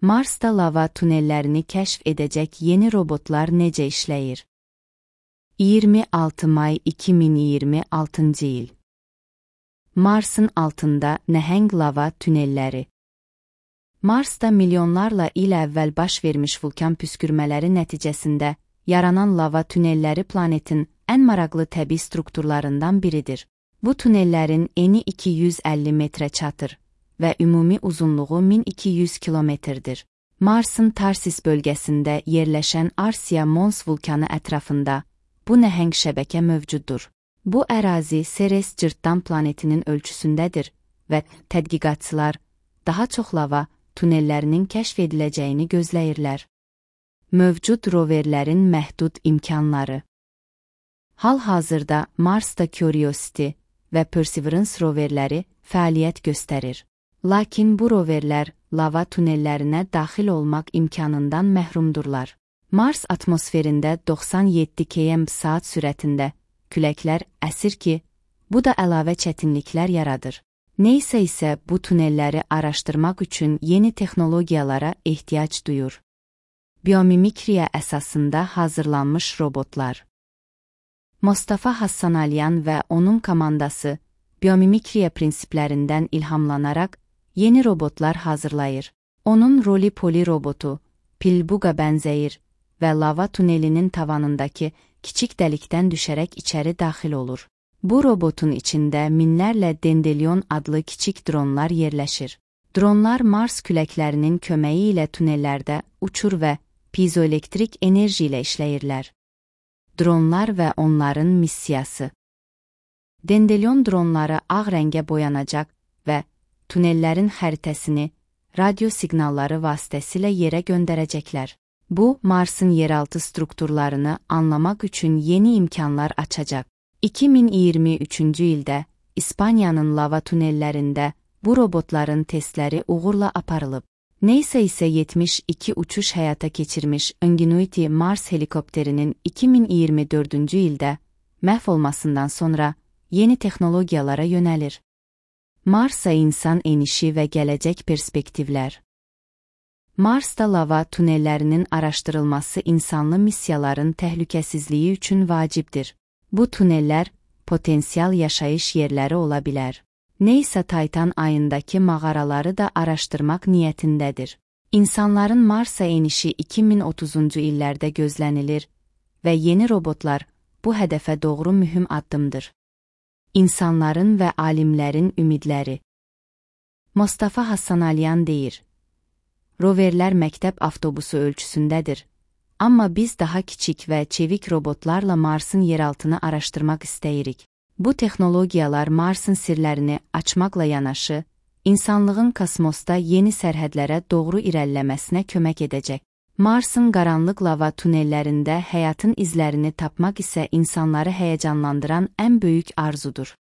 Marsda lava tunellərini kəşf edəcək yeni robotlar necə işləyir? 26 may 2026-cı il. Marsın altında nəhəng lava tunelləri. Marsda milyonlarla il əvvəl baş vermiş vulkan püskürmələri nəticəsində yaranan lava tunelləri planetin ən maraqlı təbii strukturlarından biridir. Bu tunellərin eni 250 metrə çatır və ümumi uzunluğu 1200 kilometrdir. Marsın Tarsis bölgəsində yerləşən Arsia Mons vulkanı ətrafında bu nəhəng şəbəkə mövcuddur. Bu ərazi Ceres cırtdan planetinin ölçüsündədir və tədqiqatçılar daha çox lava tunellərinin kəşf ediləcəyini gözləyirlər. Mövcud roverlərin məhdud imkanları. Hal-hazırda Marsda Curiosity və Perseverance roverləri fəaliyyət göstərir. Lakin bu roverlər lava tunellərinə daxil olmaq imkanından məhrumdurlar. Mars atmosferində 97 km/saat sürətində küləklər əsir ki, bu da əlavə çətinliklər yaradır. Neysə isə bu tunelləri araşdırmaq üçün yeni texnologiyalara ehtiyac duyur. Biomimikriya əsasında hazırlanmış robotlar. Mostafa Hassanalyan və onun komandası biomimikriya prinsiplərindən ilhamlanaraq yeni robotlar hazırlayır. Onun Roly-Poly robotu Pilbuga bənzəyir və lava tunelinin tavanındakı kiçik dəlikdən düşərək içəri daxil olur. Bu robotun içində minlərlə Dendelion adlı kiçik dronlar yerləşir. Dronlar Mars küləklərinin köməyi ilə tunellərdə uçur və piezoelektrik enerji ilə işləyirlər. Dronlar və onların missiyası. Dendelion dronları ağ rəngə boyanacaq və tunellərin xəritəsini radio siqnalları vasitəsilə yerə göndərəcəklər. Bu, Marsın yeraltı strukturlarını anlamaq üçün yeni imkanlar açacaq. 2023-cü ildə İspaniyanın lava tunellərində bu robotların testləri uğurla aparılıb. Neysə isə 72 uçuş həyata keçirmiş Ingenuity Mars helikopterinin 2024-cü ildə məhv olmasından sonra yeni texnologiyalara yönəlir. Marsa insan enişi və gələcək perspektivlər. Marsda lava tunellərinin araşdırılması insanlı missiyaların təhlükəsizliyi üçün vacibdir. Bu tunellər potensial yaşayış yerləri ola bilər. Neysə Titan ayındakı mağaraları da araşdırmaq niyyətindədir. İnsanların Marsa enişi 2030-cu illərdə gözlənilir və yeni robotlar bu hədəfə doğru mühüm addımdır. İnsanların və alimlərin ümidləri. Mostafa Hassanalyan deyir: Roverlər məktəb avtobusu ölçüsündədir, amma biz daha kiçik və çevik robotlarla Marsın yeraltını araşdırmaq istəyirik. Bu texnologiyalar Marsın sirlərini açmaqla yanaşı, insanlığın kosmosda yeni sərhədlərə doğru irəliləməsinə kömək edəcək. Marsın qaranlıq lava tunellərində həyatın izlərini tapmaq isə insanları həyəcanlandıran ən böyük arzudur.